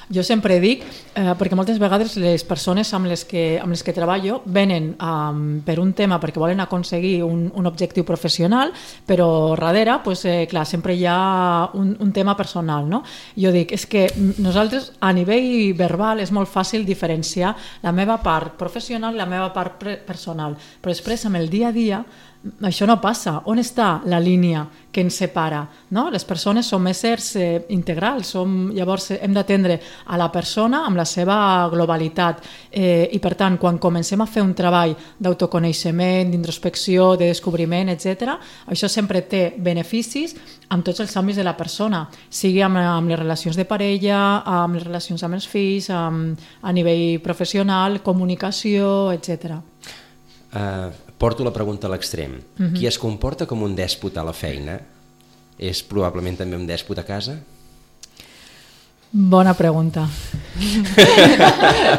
Speaker 5: Jo sempre dic, eh, perquè moltes vegades les persones amb les que, amb les que treballo venen um, per un tema perquè volen aconseguir un, un objectiu professional, però darrere, pues, eh, clar, sempre hi ha un, un tema personal, no? Jo dic, és que nosaltres a nivell verbal és molt fàcil diferenciar la meva part professional i la meva part personal, però després amb el dia a dia això no passa. On està la línia que ens separa? No? Les persones som éssers eh, integrals, som, llavors hem d'atendre a la persona amb la seva globalitat eh, i per tant quan comencem a fer un treball d'autoconeixement, d'introspecció, de descobriment, etcètera, això sempre té beneficis amb tots els àmbits de la persona, sigui amb, amb les relacions de parella, amb les relacions amb els fills, amb, a nivell professional, comunicació, etcètera.
Speaker 2: Uh, porto la pregunta a l'extrem. Uh-huh. Qui es comporta com un dèspota a la feina és probablement també un dèspota a casa?
Speaker 5: Bona pregunta.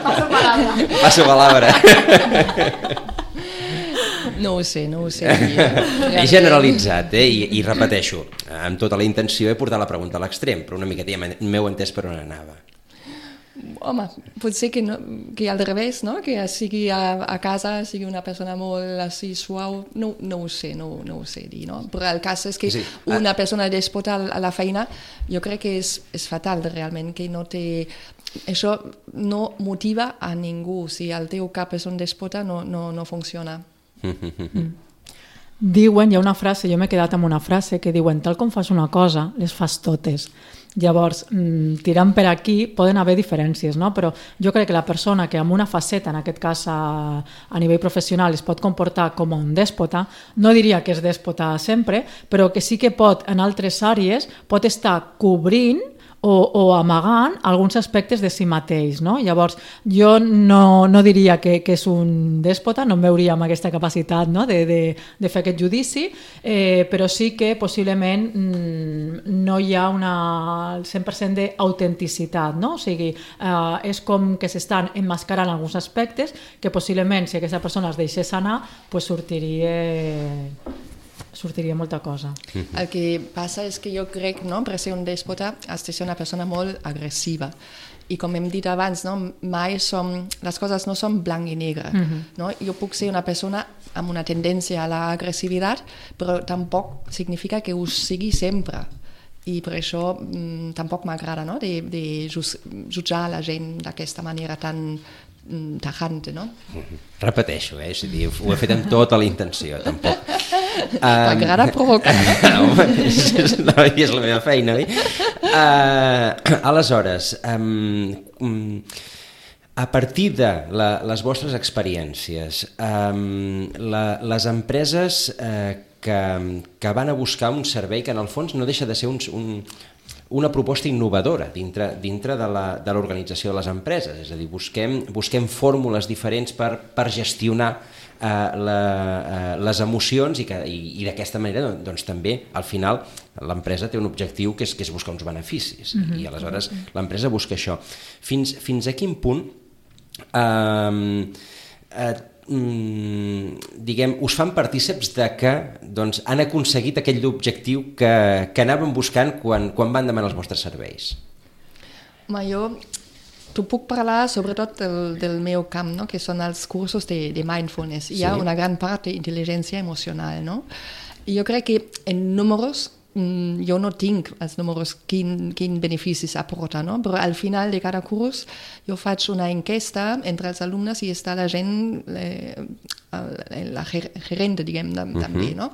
Speaker 3: Passo palabra.
Speaker 2: Passo palabra.
Speaker 4: No ho sé, no ho sé.
Speaker 2: He generalitzat, eh? I, i repeteixo, amb tota la intenció he portat la pregunta a l'extrem, però una miqueta ja m'heu entès per on anava.
Speaker 4: Home, potser que, no, que al revés, no? Que sigui a, a casa, sigui una persona molt així suau, no, no ho sé, no, no ho sé dir, no? Però el cas és que sí, una ah. persona dèspota a la feina, jo crec que és, és fatal realment, que no té... Això no motiva a ningú, si el teu cap és un dèspota no, no, no funciona.
Speaker 5: Mm. Diuen, hi ha una frase, jo m'he quedat amb una frase que diuen, tal com fas una cosa, les fas totes. Llavors, tirant per aquí poden haver diferències, no? Però jo crec que la persona que amb una faceta, en aquest cas a, a nivell professional, es pot comportar com un dèspota, no diria que és dèspota sempre, però que sí que pot, en altres àrees, pot estar cobrint o, o amagant alguns aspectes de si mateix, no? Llavors, jo no, no diria que, que és un dèspota, no em veuria amb aquesta capacitat, no? de, de, de fer aquest judici, eh, però sí que possiblement mm, no hi ha una, el cent per cent d'autenticitat, no? O sigui, eh, és com que s'estan emmascarant alguns aspectes que possiblement, si aquesta persona es deixés anar, pues sortiria... sortiria molta cosa.
Speaker 4: El que passa és que jo crec, no, per ser un dèspota has de ser una persona molt agressiva i com hem dit abans, no, mai som, les coses no són blanc i negre, uh-huh. no? Jo puc ser una persona amb una tendència a l'agressivitat, però tampoc significa que ho sigui sempre i per això mm, tampoc m'agrada, no, de, de jutjar la gent d'aquesta manera tan tajante, no?
Speaker 2: Repeteixo, eh? És a dir, ho he fet amb tota la intenció, tampoc.
Speaker 4: T'agrada provocar, no?
Speaker 2: Home, és, no, és la meva feina, oi? Uh, aleshores, um, a partir de la, les vostres experiències, um, la, les empreses uh, que, que van a buscar un servei que en el fons no deixa de ser un, un una proposta innovadora dintre, dintre de l'organització de, de les empreses, és a dir, busquem, busquem fórmules diferents per, per gestionar eh, la, eh, les emocions i, que, i, i d'aquesta manera doncs, també al final l'empresa té un objectiu que és, que és buscar uns beneficis mm-hmm. i aleshores l'empresa busca això. Fins, fins a quin punt eh, eh, Mm, diguem, us fan partíceps de que doncs, han aconseguit aquell objectiu que, que anaven buscant quan, quan van demanar els vostres serveis?
Speaker 4: Ma jo t'ho puc parlar sobretot del, del meu camp, no? Que són els cursos de, de mindfulness. Hi ha sí. una gran part d'intel·ligència emocional, no? I jo crec que en números jo no tinc els números quin, quin beneficis aporta, no? Però al final de cada curs jo faig una enquesta entre els alumnes i està la gent, eh, la gerente, diguem, uh-huh. també, no?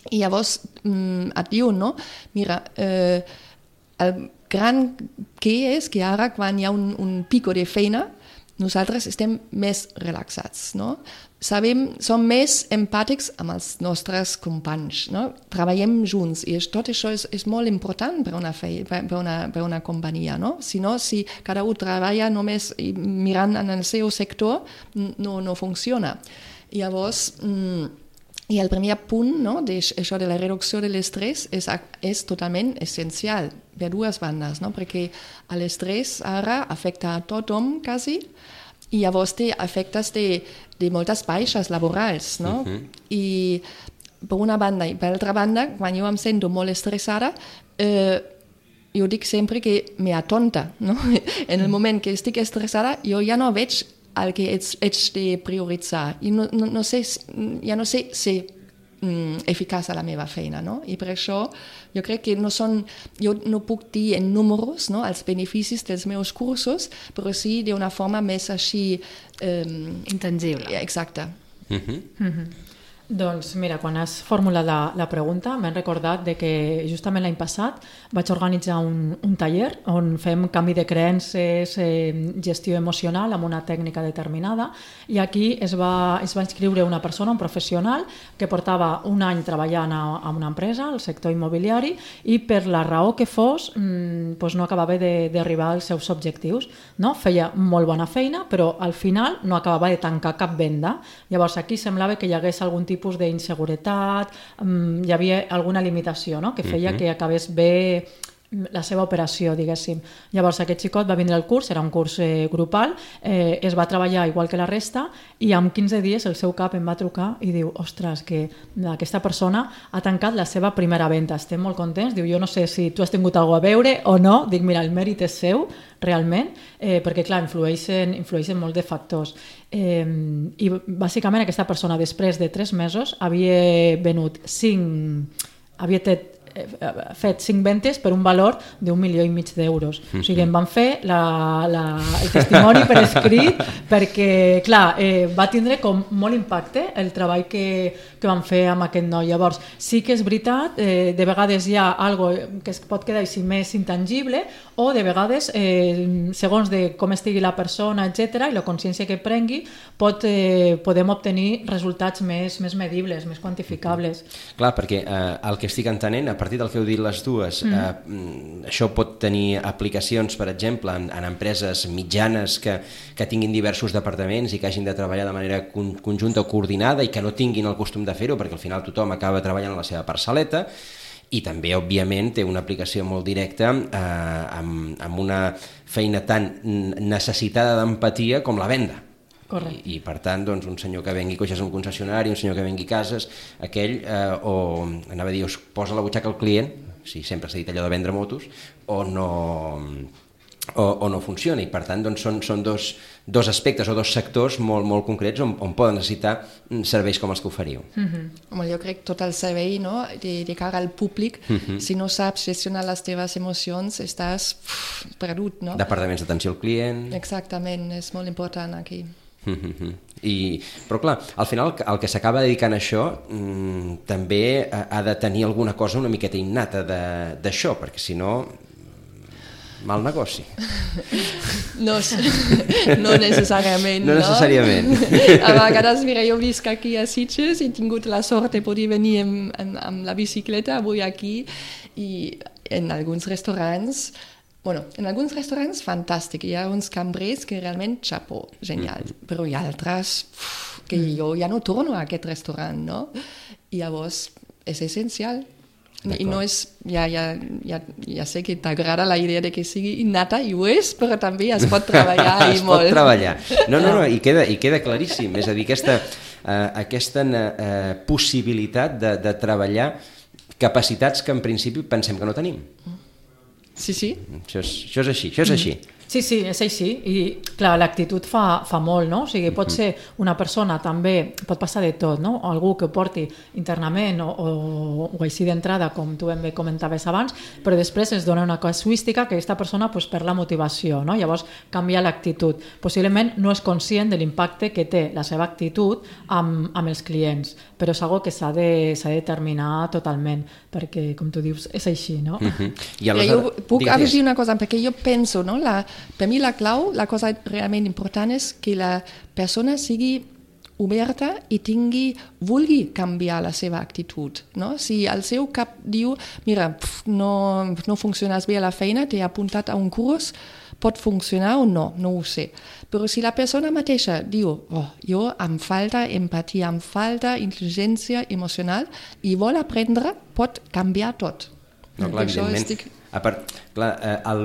Speaker 4: I llavors et diuen, no? Mira, eh, el gran que és que ara quan hi ha un, un pico de feina nosaltres estem més relaxats, no? Sabem, som més empàtics amb els nostres companys, no? Treballem junts i tot això és, és molt important per una, fe, per una, per una companyia, no? Si no, si cada un treballa només mirant en el seu sector, no, no funciona. I llavors, I el primer punt, no, d'això de la reducció de l'estrès és, és totalment essencial per dues bandes, no? Perquè l'estrès ara afecta a tothom quasi i llavors té efectes de, de moltes baixes laborals, no? Uh-huh. I per una banda i per l'altra banda, quan jo em sento molt estressada, eh, jo dic sempre que me atonta, no? En el moment que estic estressada jo ja no veig el que ets, ets de prioritzar. I no, no, no sé, ja no sé ser mm, eficaç a la meva feina, no? I per això jo crec que no són, jo no puc dir en números, no, els beneficis dels meus cursos, però sí d'una forma més així... Eh,
Speaker 3: intangible.
Speaker 4: Exacte.
Speaker 5: Mm-hmm. Mm-hmm. Doncs mira, quan has formulat la, la pregunta m'he recordat de que justament l'any passat vaig organitzar un, un taller on fem canvi de creences, eh, gestió emocional amb una tècnica determinada i aquí es va, es va inscriure una persona, un professional que portava un any treballant a, a una empresa, al sector immobiliari i per la raó que fos mmm, doncs no acabava d'arribar als seus objectius, no? Feia molt bona feina però al final no acabava de tancar cap venda. Llavors aquí semblava que hi hagués algun tipus d'inseguretat, um, hi havia alguna limitació, no? Que feia uh-huh. que acabés bé la seva operació, diguéssim. Llavors aquest xicot va vindre al curs, era un curs eh, grupal, eh, es va treballar igual que la resta i en quinze dies el seu cap em va trucar i diu, ostres, que aquesta persona ha tancat la seva primera venda, estem molt contents, diu, jo no sé si tu has tingut alguna cosa a veure o no, dic, mira, el mèrit és seu, realment, eh, perquè clar, influeixen, influeixen molt de factors. Eh, I bàsicament aquesta persona després de tres mesos havia venut cinc, havia fet fet cinc ventes per un valor d'un milió i mig d'euros. O sigui, em van fer la, la, el testimoni per escrit perquè, clar, eh, va tindre com molt impacte el treball que, que van fer amb aquest noi. Llavors, sí que és veritat, eh, de vegades hi ha algo que es pot quedar així més intangible o de vegades, eh, segons de com estigui la persona, etcètera, i la consciència que prengui, pot, eh, podem obtenir resultats més, més medibles, més quantificables.
Speaker 2: Clar, perquè eh, el que estic entenent, a partir del que heu dit les dues, mm. eh, això pot tenir aplicacions, per exemple, en, en empreses mitjanes que, que tinguin diversos departaments i que hagin de treballar de manera con, conjunta o coordinada i que no tinguin el costum de fer-ho, perquè al final tothom acaba treballant a la seva parcel·leta, i també, òbviament, té una aplicació molt directa eh, amb, amb una feina tan necessitada d'empatia com la venda.
Speaker 5: Correcte.
Speaker 2: I, i per tant, doncs, un senyor que vengui cotxes a un concessionari, un senyor que vengui cases, aquell, eh, o anava a dir, es posa a la butxaca el client, si sempre s'ha dit allò de vendre motos, o no, o, o no funciona, i per tant doncs, són, són dos, dos aspectes o dos sectors molt, molt concrets on, on poden necessitar serveis com els que oferiu.
Speaker 4: Mm-hmm. Home, jo crec que tot el servei, no? de, de cara al públic, mm-hmm. si no saps gestionar les teves emocions, estàs pff, perdut, no?
Speaker 2: Departaments d'atenció al client...
Speaker 4: Exactament, és molt important aquí.
Speaker 2: I, però clar, al final el que s'acaba dedicant a això mmm, també ha de tenir alguna cosa una miqueta innata d'això, perquè si no, mal negoci.
Speaker 4: No, no necessàriament.
Speaker 2: No necessàriament.
Speaker 4: No? A vegades, mira, jo visc aquí a Sitges i he tingut la sort de poder venir amb, amb, amb la bicicleta avui aquí i en alguns restaurants. Bueno, en alguns restaurants fantàstic, hi ha uns cambrers que realment, xapó, genial, mm. però hi ha altres uf, que jo ja no torno a aquest restaurant, no? I llavors és essencial. I no és, ja, ja, ja, ja sé que t'agrada la idea de que sigui innata, i ho és, però també es pot treballar i
Speaker 2: es
Speaker 4: molt.
Speaker 2: Es pot treballar. No, no, no, i queda, i queda claríssim, és a dir, aquesta, uh, aquesta uh, possibilitat de, de treballar capacitats que en principi pensem que no tenim.
Speaker 4: Sí, sí.
Speaker 2: Això és, això és així, això és així.
Speaker 5: Sí, sí, és així. I, clar, l'actitud fa, fa molt, no? O sigui, pot ser una persona també, pot passar de tot, no? O algú que ho porti internament o, o, o així d'entrada, com tu ben bé comentaves abans, però després es dona una casuística que aquesta persona pues, perd la motivació, no? Llavors canvia l'actitud. Possiblement no és conscient de l'impacte que té la seva actitud amb, amb els clients, però és algo que s'ha de, s'ha de determinar totalment, perquè, com tu dius, és així, no?
Speaker 2: Uh-huh. I
Speaker 4: aleshores... Jo puc afegir una cosa, perquè jo penso, no? La, per mi la clau, la cosa realment important és que la persona sigui oberta i tingui, vulgui canviar la seva actitud. No? Si el seu cap diu, mira, pf, no, no funciones bé a la feina, t'he apuntat a un curs, pot funcionar o no, no ho sé. Però si la persona mateixa diu, oh, jo em falta empatia, em falta intel·ligència emocional i vol aprendre, pot canviar tot.
Speaker 2: No, clar, evidentment. Estic... A part, clar, el,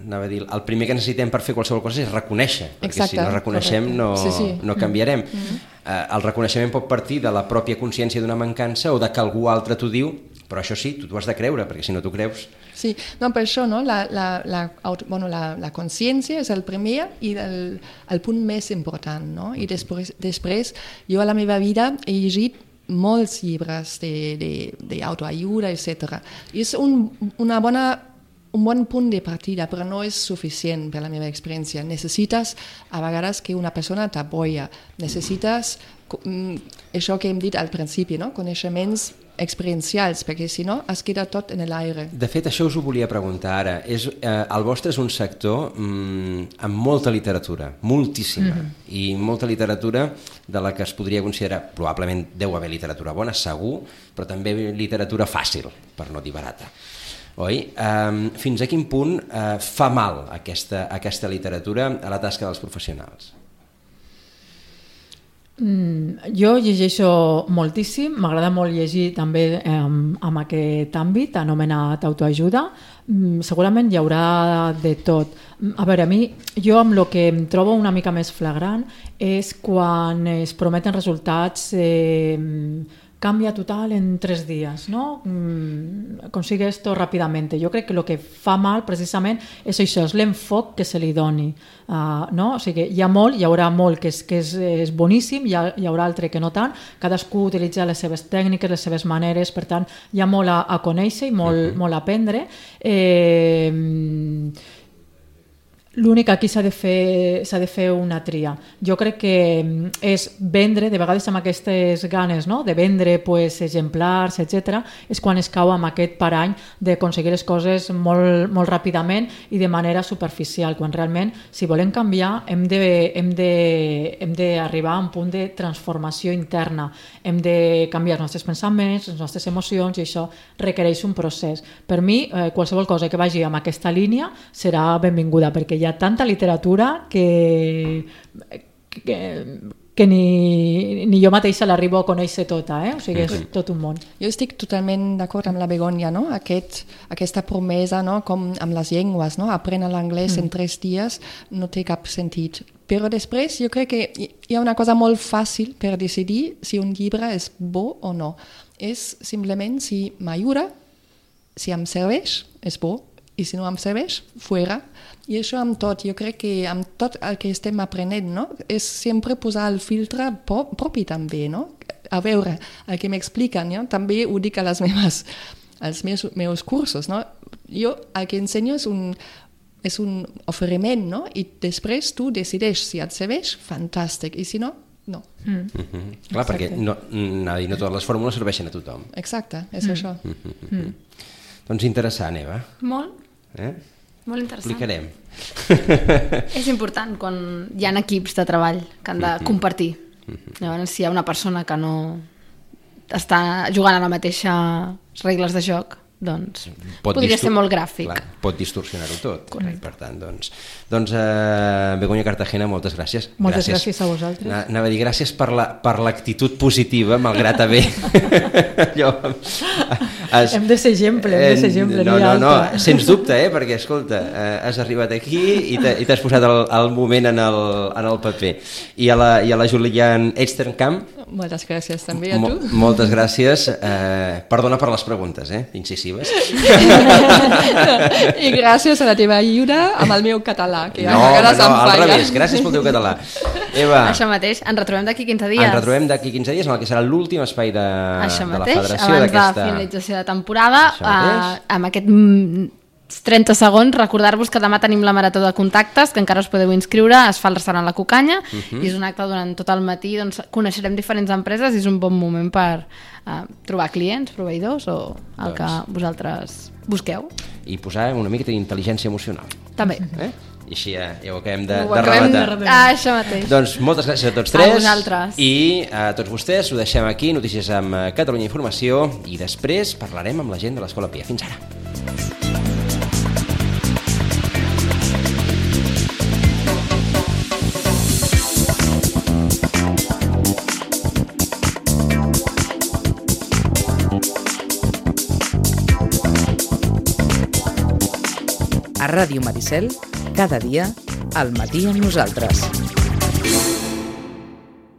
Speaker 2: anava a dir, el primer que necessitem per fer qualsevol cosa és reconèixer, perquè Exacte, si no reconeixem no, sí, sí. no canviarem. Mm-hmm. eh, el reconeixement pot partir de la pròpia consciència d'una mancança o de que algú altre t'ho diu, però això sí, tu t'ho has de creure, perquè si no t'ho creus...
Speaker 4: Sí, no, per això no? la, la, la, bueno, la, la consciència és el primer i el, el punt més important. No? I després, després, jo a la meva vida he llegit molts llibres d'autoajuda, etcètera. És un, una bona, un bon punt de partida, però no és suficient per la meva experiència. Necessites a vegades que una persona t'apoya. Necessites això que hem dit al principi, no? Coneixements experiencials, perquè si no es queda tot en l'aire.
Speaker 2: De fet, això us ho volia preguntar ara. És, eh, el vostre és un sector mm, amb molta literatura, moltíssima, mm-hmm. i molta literatura de la que es podria considerar, probablement deu haver literatura bona, segur, però també literatura fàcil, per no dir barata. Oi? Um, fins a quin punt uh, fa mal aquesta, aquesta literatura a la tasca dels professionals?
Speaker 5: Mm, jo llegeixo moltíssim, m'agrada molt llegir també eh, amb aquest àmbit anomenat autoajuda. Mm, segurament hi haurà de tot. A veure, a mi, jo amb el que em trobo una mica més flagrant és quan es prometen resultats eh, cambia total en tres dies, ¿no? Mm, consigue esto rápidamente. Jo crec que el que fa mal precisament és això, és l'enfoc que se li doni. Uh, no? O sigui, hi ha molt, hi haurà molt que és, que és, és boníssim, hi, ha, hi haurà altre que no tant, cadascú utilitza les seves tècniques, les seves maneres, per tant, hi ha molt a, a conèixer i molt, uh-huh. molt a aprendre. Eh, L'únic que aquí s'ha de fer, s'ha de fer una tria. Jo crec que és vendre, de vegades amb aquestes ganes, no? de vendre pues, exemplars, etcètera, és quan es cau amb aquest parany d'aconseguir les coses molt, molt ràpidament i de manera superficial, quan realment, si volem canviar, hem de, hem de, hem d'arribar a un punt de transformació interna. Hem de canviar els nostres pensaments, les nostres emocions, i això requereix un procés. Per mi, eh, qualsevol cosa que vagi amb aquesta línia serà benvinguda, perquè hi ha tanta literatura que, que, que ni, ni jo mateixa l'arribo a conèixer tota, eh? O sigui, és tot un món.
Speaker 4: Jo estic totalment d'acord amb la Begònia, no? Aquest, aquesta promesa, no? Com amb les llengües, no? Aprendre l'anglès mm. en tres dies no té cap sentit. Però després jo crec que hi ha una cosa molt fàcil per decidir si un llibre és bo o no. És simplement si m'ajuda, si em serveix, és bo, i si no em serveix, fora. I això amb tot, jo crec que amb tot el que estem aprenent, no? És sempre posar el filtre pro- propi també, no? A veure, el que m'expliquen, no? També ho dic a les meves, als meus, meus cursos, no? Jo el que ensenyo és un, és un oferiment, no? I després tu decideix si et serveix, fantàstic, i si no, no.
Speaker 2: Mm. Mm-hmm. Clar, Exacte. Perquè no, no, no totes les fórmules serveixen a tothom.
Speaker 4: Exacte, és mm. això.
Speaker 2: Mm-hmm. Mm. Doncs interessant, Eva.
Speaker 3: Molt.
Speaker 2: Eh?
Speaker 3: Molt interessant.
Speaker 2: Explicarem.
Speaker 3: És important quan hi ha equips de treball que han de mm-hmm. compartir. Mm-hmm. Llavors, si hi ha una persona que no està jugant a la mateixa regles de joc, doncs pot podria distor- ser molt gràfic.
Speaker 2: Clar, pot distorsionar-ho tot.
Speaker 3: Correcte.
Speaker 2: Per tant, doncs, doncs uh, Begoña Cartagena, moltes gràcies.
Speaker 5: Moltes gràcies,
Speaker 2: gràcies
Speaker 5: a vosaltres.
Speaker 2: Na, anava a dir gràcies per, la, per l'actitud positiva, malgrat haver... Allò, has,
Speaker 5: hem de ser exemple, hem de ser exemple.
Speaker 2: No, no, no, sens dubte, eh, perquè, escolta, eh, has arribat aquí i, i t'has posat el, el moment en el, en el paper. I a la, i a la Julian Echternkamp,
Speaker 4: moltes gràcies també a tu.
Speaker 2: Mo- moltes gràcies. Eh, perdona per les preguntes, eh, incisives.
Speaker 4: I gràcies a la teva ajuda amb el meu català, que
Speaker 2: no,
Speaker 4: a vegades
Speaker 2: no,
Speaker 4: em
Speaker 2: al
Speaker 4: falla.
Speaker 2: revés, gràcies pel teu català. Eva,
Speaker 3: Això mateix, ens retrobem d'aquí quinze dies.
Speaker 2: ens retrobem d'aquí quinze dies en el que serà l'últim espai de,
Speaker 3: Això
Speaker 2: de la
Speaker 3: mateix,
Speaker 2: federació
Speaker 3: abans
Speaker 2: d'aquesta...
Speaker 3: de finalització de temporada,
Speaker 2: Això
Speaker 3: eh, amb aquest mm, trenta segons, recordar-vos que demà tenim la Marató de Contactes, que encara us podeu inscriure, es fa al restaurant La Cucanya, uh-huh. i és un acte durant tot el matí, doncs coneixerem diferents empreses i és un bon moment per uh, trobar clients, proveïdors o el doncs. que vosaltres busqueu.
Speaker 2: I posar una mica d'intel·ligència emocional.
Speaker 3: També.
Speaker 2: Eh? I així ja, ja ho acabem de,
Speaker 3: Ho
Speaker 2: de
Speaker 3: acabem
Speaker 2: rematar.
Speaker 3: de- Ah, això mateix.
Speaker 2: Doncs moltes gràcies a tots
Speaker 3: A
Speaker 2: tres.
Speaker 3: vosaltres.
Speaker 2: I a tots vostès ho deixem aquí, notícies amb eh, Catalunya Informació, i després parlarem amb la gent de l'Escola Pia. Fins ara.
Speaker 1: A Ràdio Maricel, cada dia, al matí amb nosaltres.